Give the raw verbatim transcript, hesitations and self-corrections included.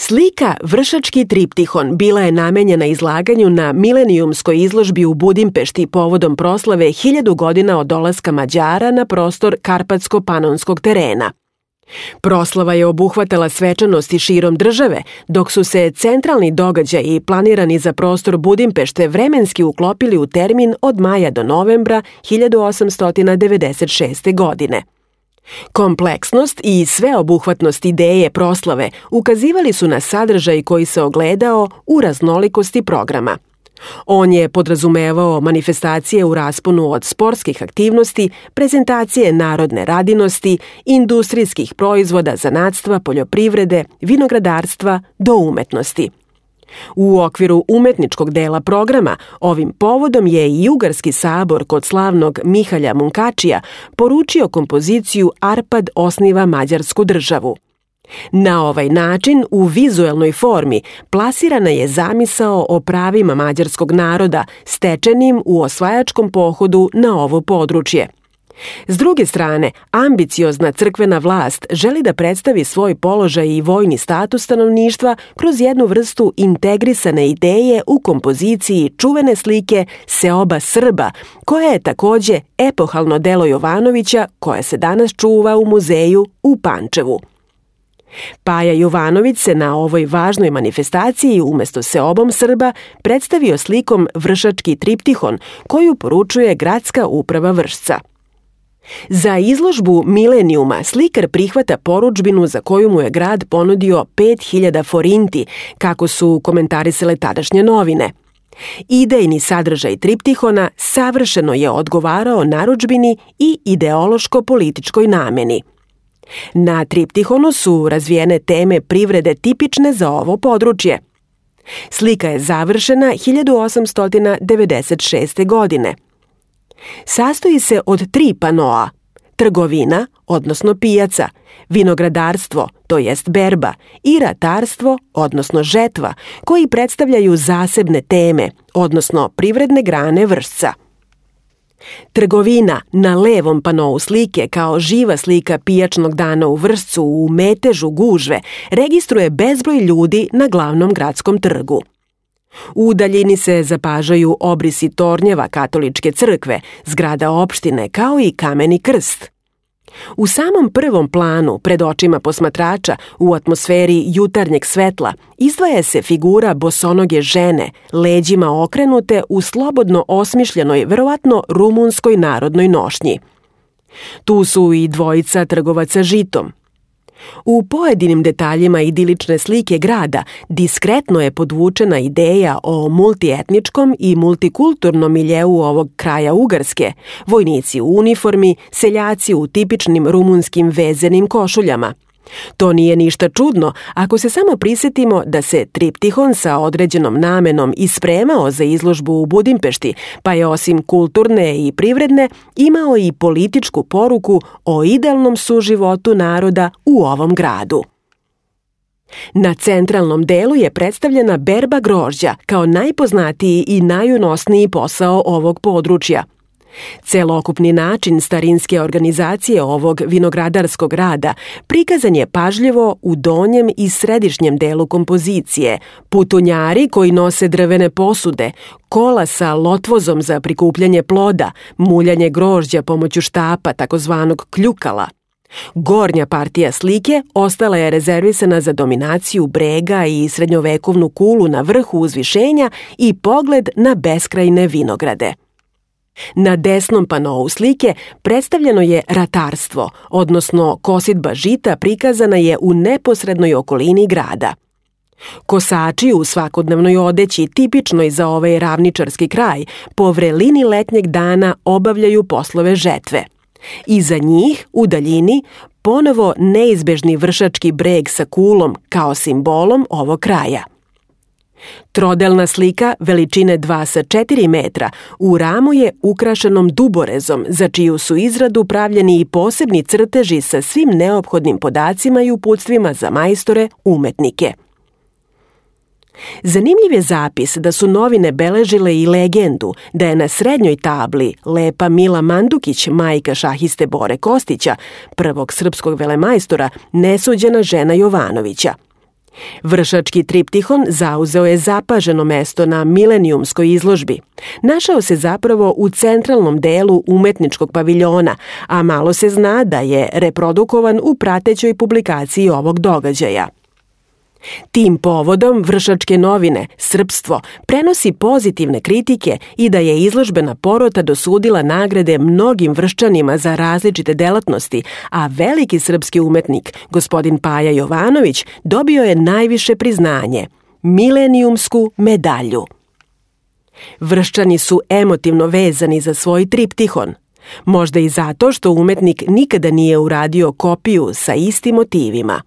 Slika Vršački triptihon bila je namenjena izlaganju na milenijumskoj izložbi u Budimpešti povodom proslave hiljadu godina od dolaska Mađara na prostor Karpatsko-panonskog terena. Proslava je obuhvatala svečanosti širom države, dok su se centralni događaji planirani za prostor Budimpešte vremenski uklopili u termin od maja do novembra hiljadu osamsto devedeset šeste. godine. Kompleksnost i sveobuhvatnost ideje proslave ukazivali su na sadržaj koji se ogledao u raznolikosti programa. On je podrazumevao manifestacije u rasponu od sportskih aktivnosti, prezentacije narodne radinosti, industrijskih proizvoda, zanatstva, poljoprivrede, vinogradarstva do umetnosti. U okviru umetničkog dela programa ovim povodom je i Ugarski sabor kod slavnog Mihalja Munkačija poručio kompoziciju Arpad osniva Mađarsku državu. Na ovaj način, u vizuelnoj formi, plasirana je zamisao o pravima mađarskog naroda stečenim u osvajačkom pohodu na ovo područje. S druge strane, ambiciozna crkvena vlast želi da predstavi svoj položaj i vojni status stanovništva kroz jednu vrstu integrisane ideje u kompoziciji čuvene slike Seoba Srba, koja je takođe epohalno delo Jovanovića koje se danas čuva u muzeju u Pančevu. Paja Jovanović se na ovoj važnoj manifestaciji umesto Seobom Srba predstavio slikom Vršački triptihon koju poručuje gradska uprava Vršca. Za izložbu Milenijuma slikar prihvata porudžbinu za koju mu je grad ponudio pet hiljada forinti, kako su komentarisale tadašnje novine. Idejni sadržaj triptihona savršeno je odgovarao narudžbini i ideološko-političkoj nameni. Na triptihonu su razvijene teme privrede tipične za ovo područje. Slika je završena hiljadu osamsto devedeset šeste. godine. Sastoji se od tri panoa: trgovina, odnosno pijaca, vinogradarstvo, to jest berba, i ratarstvo, odnosno žetva, koji predstavljaju zasebne teme, odnosno privredne grane Vršca. Trgovina na levom panou slike kao živa slika pijačnog dana u Vršcu u metežu gužve registruje bezbroj ljudi na glavnom gradskom trgu. U daljini se zapažaju obrisi tornjeva katoličke crkve, zgrada opštine kao i kameni krst. U samom prvom planu, pred očima posmatrača, u atmosferi jutarnjeg svetla, izdvaja se figura bosonoge žene, leđima okrenute u slobodno osmišljenoj, verovatno rumunskoj narodnoj nošnji. Tu su i dvojica trgovaca žitom. U pojedinim detaljima idilične slike grada diskretno je podvučena ideja o multietničkom i multikulturnom miljeu ovog kraja Ugarske, vojnici u uniformi, seljaci u tipičnim rumunskim vezenim košuljama. To nije ništa čudno ako se samo prisetimo da se triptihon sa određenom namenom ispremao za izložbu u Budimpešti, pa je osim kulturne i privredne imao i političku poruku o idealnom suživotu naroda u ovom gradu. Na centralnom delu je predstavljena berba grožđa kao najpoznatiji i najunosniji posao ovog područja. Celokupni način starinske organizacije ovog vinogradarskog rada prikazan je pažljivo u donjem i središnjem delu kompozicije, putunjari koji nose drvene posude, kola sa lotvozom za prikupljanje ploda, muljanje grožđa pomoću štapa, takozvanog kljukala. Gornja partija slike ostala je rezervisana za dominaciju brega i srednjovekovnu kulu na vrhu uzvišenja i pogled na beskrajne vinograde. Na desnom panou slike predstavljeno je ratarstvo, odnosno kositba žita prikazana je u neposrednoj okolini grada. Kosači u svakodnevnoj odeći, tipičnoj za ovaj ravničarski kraj, po vrelini letnjeg dana obavljaju poslove žetve. Iza njih, u daljini, ponovo neizbežni vršački breg sa kulom kao simbolom ovog kraja. Trodelna slika veličine dva sa četiri metra u ramu je ukrašenom duborezom, za čiju su izradu pravljeni i posebni crteži sa svim neophodnim podacima i uputstvima za majstore umetnike. Zanimljiv je zapis da su novine beležile i legendu da je na srednjoj tabli lepa Mila Mandukić, majka šahiste Bore Kostića, prvog srpskog velemajstora, nesuđena žena Jovanovića. Vršački triptihon zauzeo je zapaženo mesto na milenijumskoj izložbi. Našao se zapravo u centralnom delu umetničkog paviljona, a malo se zna da je reprodukovan u pratećoj publikaciji ovog događaja. Tim povodom Vršačke novine Srpstvo prenosi pozitivne kritike i da je izložbena porota dosudila nagrade mnogim Vrščanima za različite delatnosti, a veliki srpski umetnik, gospodin Paja Jovanović, dobio je najviše priznanje – milenijumsku medalju. Vrščani su emotivno vezani za svoj triptihon, možda i zato što umetnik nikada nije uradio kopiju sa istim motivima.